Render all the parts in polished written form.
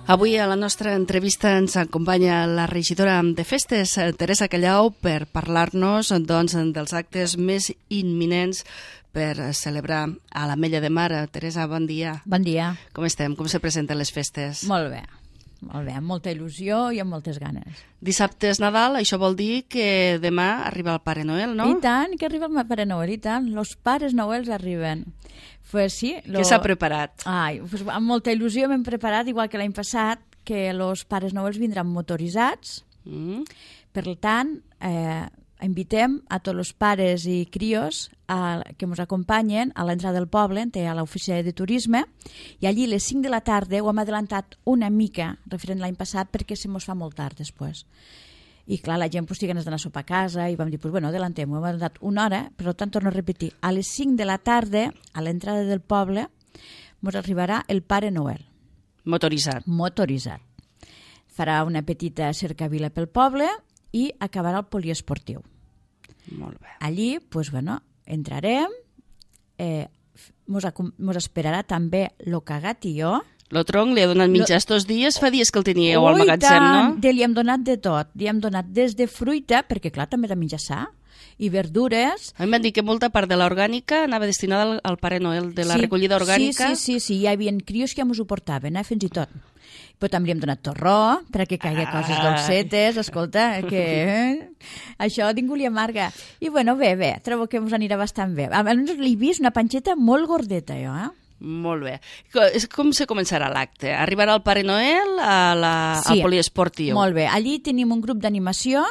Avui a la nostra entrevista ens acompanya la regidora de festes, Teresa Callau, per parlar-nos dels actes més imminents per celebrar a l'Ametlla de Mar. Teresa, bon dia. Bon dia. Com estem? Com se presenten les festes? Molt bé, amb molta il·lusió i amb moltes ganes. Dissabte és Nadal, això vol dir que demà arriba el Pare Noel, no? I tant, que arriba el Pare Noel, i tant. Los Pares Noels arriben. Pues sí, Què s'ha preparat? Pues amb molta il·lusió m'hem preparat, igual que l'any passat, que los Pares Noels vindran motoritzats. Per tant, invitem a tots els pares i crios que ens acompanyen a l'entrada del poble, a l'oficina de turisme, i allí a les 5 de la tarda ho hem adelantat una mica, referent l'any passat, perquè se mos fa molt tard després. I clar, la gent té ganes d'anar a sopar a casa i vam dir, adellantem, ho hem adelantat una hora, per tant, torno a repetir, a les 5 de la tarda, a l'entrada del poble, ens arribarà el Pare Noel. Motoritzat. Motoritzat. Farà una petita cercavila pel poble i acabarà el poliesportiu. Molt bé. Allí, entrarem, mos esperarà també lo Cagatió. Lo tronc li ha donat menjar estos dies, fa dies que el teníeu al magatzem, no? Li hem donat de tot, li hem donat des de fruita, perquè clar, també de menjar sa, i verdures. A mi m'han dit que molta part de l'orgànica anava destinada al Pare Noel, de la recollida orgànica. Sí, hi havia crios que ens ho portaven, fins i tot. Però també li hem donat torró, perquè caigui coses dolcetes, escolta, que això ningú li amarga. I bé, trobo que ens anirà bastant bé. Almenys l'he vist una panxeta molt gordeta, jo, Molt bé. Com se començarà l'acte? Arribarà el Pare Noel al poliesportiu? Molt bé. Allí tenim un grup d'animació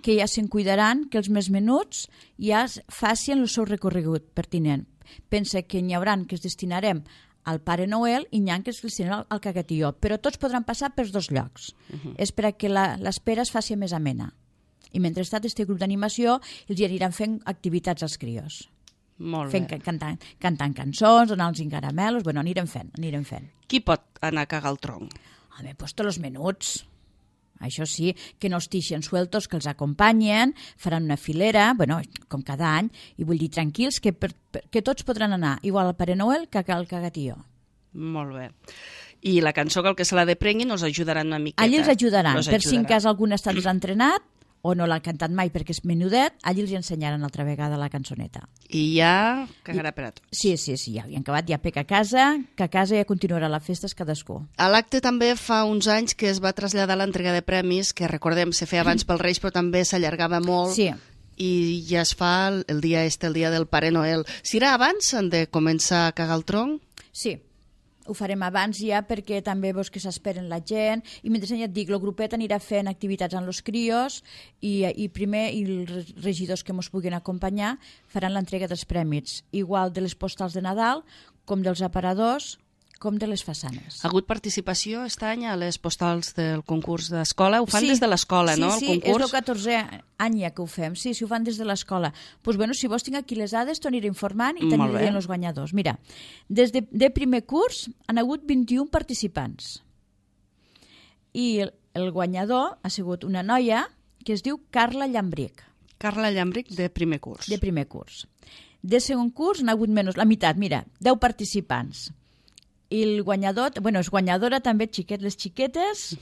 que ja se'n cuidaran, que els més menuts ja facin el seu recorregut pertinent. Pensa que n'hi haurà que es destinarem al Pare Noel i n'hi ha que es destinaran al Cagatió, però tots podran passar per dos llocs. És perquè l'espera es faci més amena. I mentrestant, aquest grup d'animació els aniran fent activitats als crios. Molt bé. Cantant cançons, donant-los caramelos, anirem fent. Qui pot anar a cagar el tronc? Home, tots els menuts. Això sí, que no estixen sueltos, que els acompanyen, faran una filera, com cada any, i vull dir, tranquils, que tots podran anar, igual al Pare Noel que al Cagatió. Molt bé. I la cançó que el que se la deprenguin els ajudaran una miqueta? Allí els ajudaran, per si en cas algun ha estat desentrenat, o no l'ha cantat mai perquè és menudet, allí els ensenyaran altra vegada la cançoneta. I ja cagarà per a tots. Sí, ja han acabat, ja pec a casa, que a casa ja continuarà la festa cadascú. A l'acte també fa uns anys que es va traslladar l'entrega de premis, que recordem, se feia abans pel Reis, però també s'allargava molt. Sí. I ja es fa el dia del Pare Noel. Serà abans de començar a cagar el tronc? Sí. Ho farem abans ja perquè també veus que s'esperen la gent i mentre ja et dic, el grupet anirà fent activitats amb els crios i primer els regidors que ens puguin acompanyar faran l'entrega dels prèmits, igual de les postals de Nadal com dels aparadors com de les façanes. Ha hagut participació aquest any a les postals del concurs d'escola? Ho fan des de l'escola, no? Sí, és el 14è any ja que ho fem. Sí, ho fan des de l'escola. Doncs si vos tinc aquí les dades, t'aniré informant i t'aniré els guanyadors. Mira, des de primer curs han hagut 21 participants. I el guanyador ha sigut una noia que es diu Carla Llambric. Carla Llambric, de primer curs. De primer curs. De segon curs han hagut menys, la meitat, mira, 10 participants. I el guanyador, és guanyadora també les xiquetes,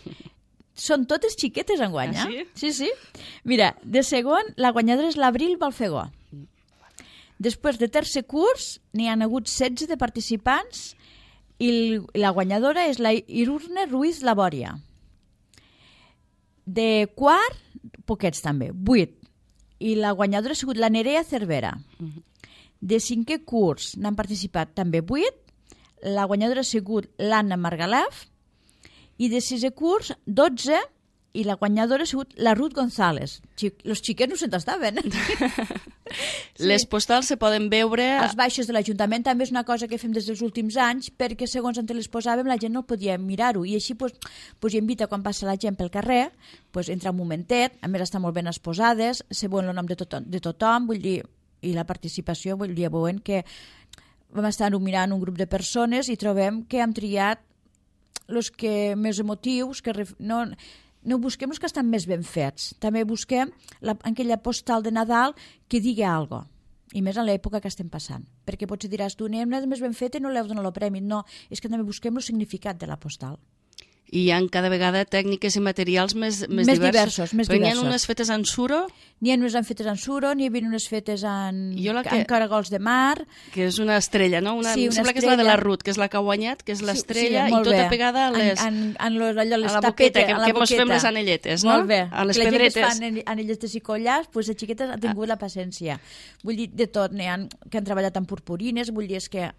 són totes xiquetes en guanya. Sí. Mira, de segon, la guanyadora és l'Abril Balfegó. Després de tercer curs, n'hi han hagut 16 de participants i la guanyadora és la Irurne Ruiz Labòria. De quart, poquets també, 8. I la guanyadora ha sigut la Nerea Cervera. De cinquè curs n'han participat també 8. La guanyadora ha sigut l'Anna Margalef i de sisè curs 12 i la guanyadora ha sigut la Ruth González. Els xiquets no se'n estaven. Les postals se poden veure... Els baixos de l'Ajuntament també és una cosa que fem des dels últims anys perquè segons on les posàvem la gent no podia mirar-ho i així hi invita quan passa la gent pel carrer, entra un momentet, a més estan molt ben exposades, se veuen el nom de tothom, vull dir, i la participació, vull dir, veuen que vam estar mirant un grup de persones i trobem que hem triat els que més emotius, que no busquem els que estan més ben fets. També busquem aquella postal de Nadal que digui alguna cosa. I més en l'època que estem passant. Perquè potser diràs tu, anem més ben feta i no l'heu donat el premi. No, és que també busquem el significat de la postal. I hi ha cada vegada tècniques i materials més diversos. Però n'hi ha unes fetes en suro? N'hi ha unes fetes en suro, n'hi ha unes fetes en caragols de mar. Que és una estrella, no? Sí, em sembla que és la de la Ruth, que és la que ha guanyat, que és l'estrella, i tota pegada a les... a la boqueta, que mos fem les anelletes, no? Molt bé. A les pedretes. La gent que fan anelletes i collars, doncs les xiquetes han tingut la paciència. Vull dir, de tot, n'hi ha que han treballat amb purpurines, vull dir, és que...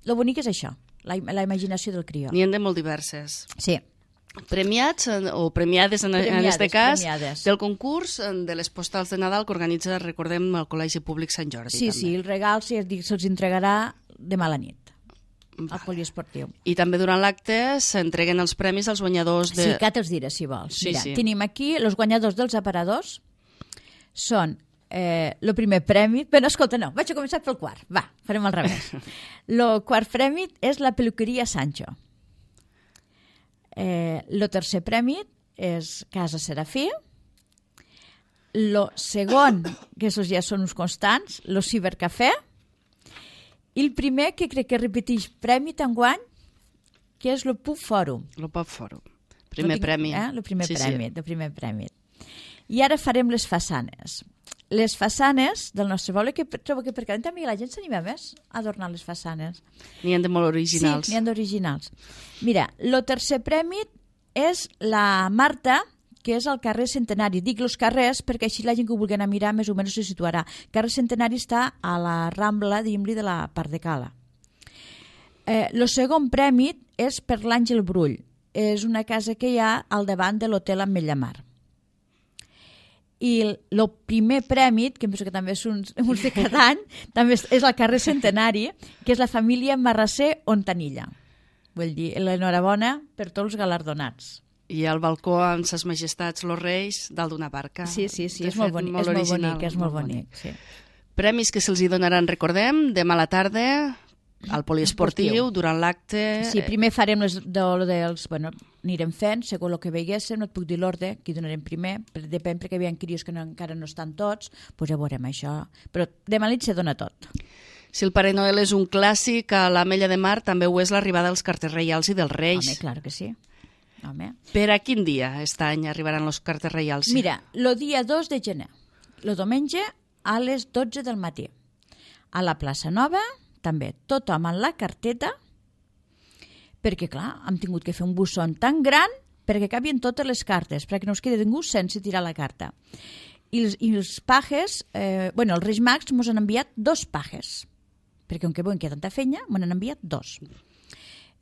Lo bonic és això, la imaginació del crió. N'hi ha de molt diverses. Sí. Premiats o premiades en aquest cas del concurs de les postals de Nadal que organitza, recordem, el Col·legi Públic Sant Jordi. Sí, també. Sí, el regal se'ls entregarà demà a la nit al poliesportiu. I també durant l'acte s'entreguen els premis als guanyadors de... Sí, que te'ls diré, si vols. Sí, Mira, sí. Tenim aquí els guanyadors dels aparadors. Són el primer premi... Bé, no, escolta, no, vaig a començar pel quart. Va, farem al revés. El quart premi és la peluqueria Sancho. El tercer premi és Casa Serafí. El segon, que aquests ja són uns constants, el Cibercafè. I el primer, que crec que repeteix premi t'enguany, que és el Pub Fòrum. El Pub Fòrum. Primer premi. El primer premi. I ara farem les façanes. Les façanes del nostre poble, que trobo que per cada any també la gent s'anima més a adornar les façanes. N'hi ha de molt originals. Sí, n'hi ha d'originals. Mira, el tercer premi és la Marta, que és al carrer Centenari. Dic els carrers perquè així la gent que ho vulgui anar a mirar més o menys se situarà. El carrer Centenari està a la Rambla, diguem-li, de la Part de Cala. El segon premi és per l'Àngel Brull. És una casa que hi ha al davant de l'hotel Ametlla Mar. I el primer premi, que penso que també és uns de cada any, també és al carrer Centenari, que és la família Marrasser Ontanilla. Vull dir, l'enhorabona per tots els galardonats. I al balcó amb ses majestats, los reis, dalt d'una barca. Sí, és molt bonic. Sí. Premis que se'ls hi donaran, recordem, demà a la tarda, al poliesportiu, durant l'acte... Sí, primer farem dels... Bueno, anirem fent, segons el que veiéssim, no et puc dir l'ordre, qui donarem primer, depèn perquè hi ha crios que encara no estan tots, doncs ja veurem això. Però demà a nit se dona tot. Si el Pare Noel és un clàssic, a l'Ametlla de Mar també ho és l'arribada dels carters reials i dels reis. Home, clar que sí. Home. Per a quin dia aquest any arribaran els carters reials? Mira, el dia 2 de gener, el diumenge a les 12 del matí. A la plaça Nova, també tothom amb la carteta, perquè, clar, hem tingut que fer un busson tan gran perquè cabien totes les cartes, perquè no es quedi ningú sense tirar la carta. I els pajes, els Reis Mags ens han enviat 2 pajes, perquè com que veuen que hi ha tanta feina, m'han enviat 2.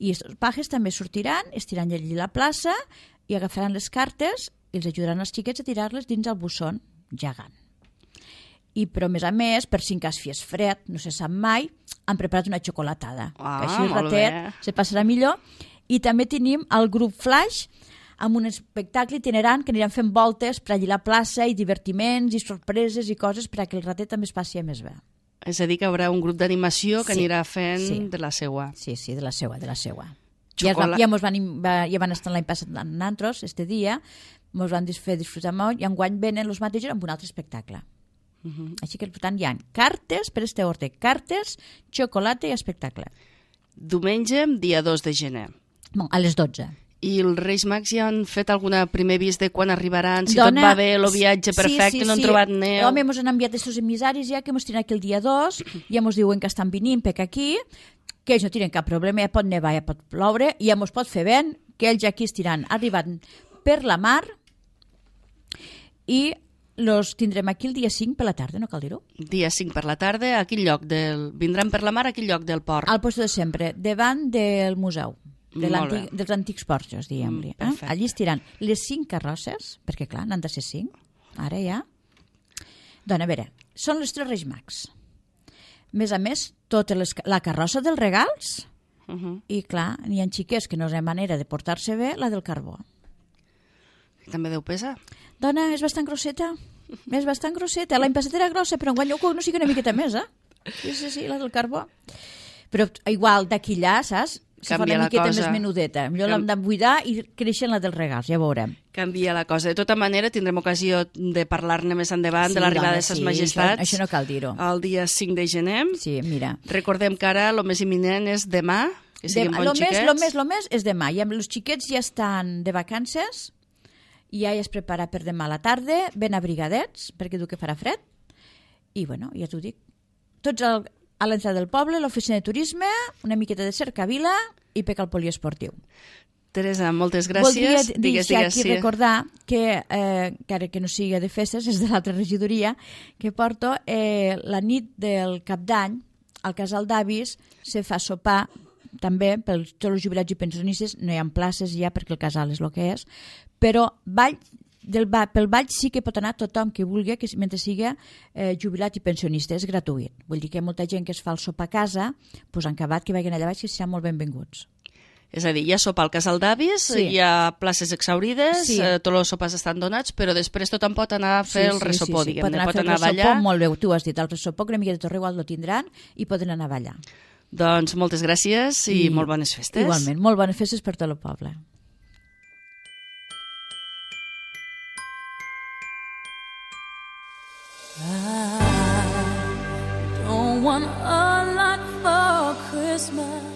I els pajes també sortiran, estiran allí a la plaça i agafaran les cartes i els ajudaran els xiquets a tirar-les dins el busson gegant. Però, a més, per si en cas fies fred, no se sap mai, han preparat una xocolatada. Que així el ratet se passarà millor. I també tenim el grup Flash amb un espectacle itinerant que aniran fent voltes per allí a la plaça i divertiments i sorpreses i coses per a que el ratet també es passi més bé. És a dir, que hi haurà un grup d'animació que anirà fent de la seua. Sí, de la seua. Ja van estar l'any passat amb nosaltres, este dia, ens van fer disfrutar molt i enguany venen els mateixos amb un altre espectacle. Així que, per tant, hi ha cartes per este ordre. Cartes, xocolata i espectacle. Diumenge, dia 2 de gener. A les 12. I els Reis Mags ja han fet algun primer avís de quan arribaran, si tot va bé, el viatge perfecte, no han trobat neu... Home, ens han enviat aquests emissaris ja que ens tenen aquí el dia 2, ja ens diuen que estan venint per aquí, que ells no tenen cap problema, ja pot nevar, ja pot ploure, i ja ens pot fer vent, que ells aquí estiran arribant per la mar i los tindrem aquí el dia 5 per la tarda, no cal dir-ho? Dia 5 per la tarda, a quin lloc? Vindran per la mar a quin lloc del port? Al lloc de sempre, davant del museu. Dels antics porxos, diguem-li. Allí estiran les 5 carrosses, perquè clar, n'han de ser 5, ara ja. Doncs a veure, són els 3 Reis Mags. Més a més, tota la carrossa dels regals, i clar, n'hi ha xiquets que no hi ha manera de portar-se bé, la del carbó. També deu pesar? Dona, és bastant grosseta. L'any passat era grossa, però enguany no sigui una miqueta més, Sí, la del carbó. Però igual d'aquí allà, saps? se fa una miqueta més menudeta. Millor l'hem de buidar i creixen la dels regals, ja veurem. Canvia la cosa. De tota manera, tindrem ocasió de parlar-ne més endavant de l'arribada de ses majestats. Això no cal dir-ho. El dia 5 de gener. Sí, mira. Recordem que ara el més imminent és demà, que siguin bons xiquets. Lo més és demà. I els xiquets ja estan de vacances, i ja es prepara per demà a la tarda, ben abrigadets, perquè diu que farà fred. I, bueno, ja t'ho dic. Tots a l'entrada del poble, l'oficina de turisme, una miqueta de cercavila i peca al poliesportiu. Teresa, moltes gràcies. Voldria deixar aquí recordar que, encara que no sigui de festes, és de l'altra regidoria, que porto la nit del Cap d'Any, al casal d'avis, se fa sopar també per tots els jubilats i pensionistes, no hi ha places ja perquè el casal és el que és, però pel ball sí que pot anar tothom que vulgui, que mentre sigui jubilat i pensionista, és gratuït. Vull dir que hi ha molta gent que es fa el sopar a casa, doncs han acabat que vagin allà baix, que seran molt benvinguts. És a dir, hi ha sopar al casal d'avis, hi ha places exhaurides, tots els sopars estan donats, però després tothom pot anar a fer el ressopó, diguem-ne, pot anar a ballar. Molt bé, tu has dit, el ressopó, que una mica de tot igual lo tindran i poden anar a ballar. Doncs moltes gràcies i molt bones festes. Igualment, molt bones festes per tot el poble. I don't want a lot for Christmas.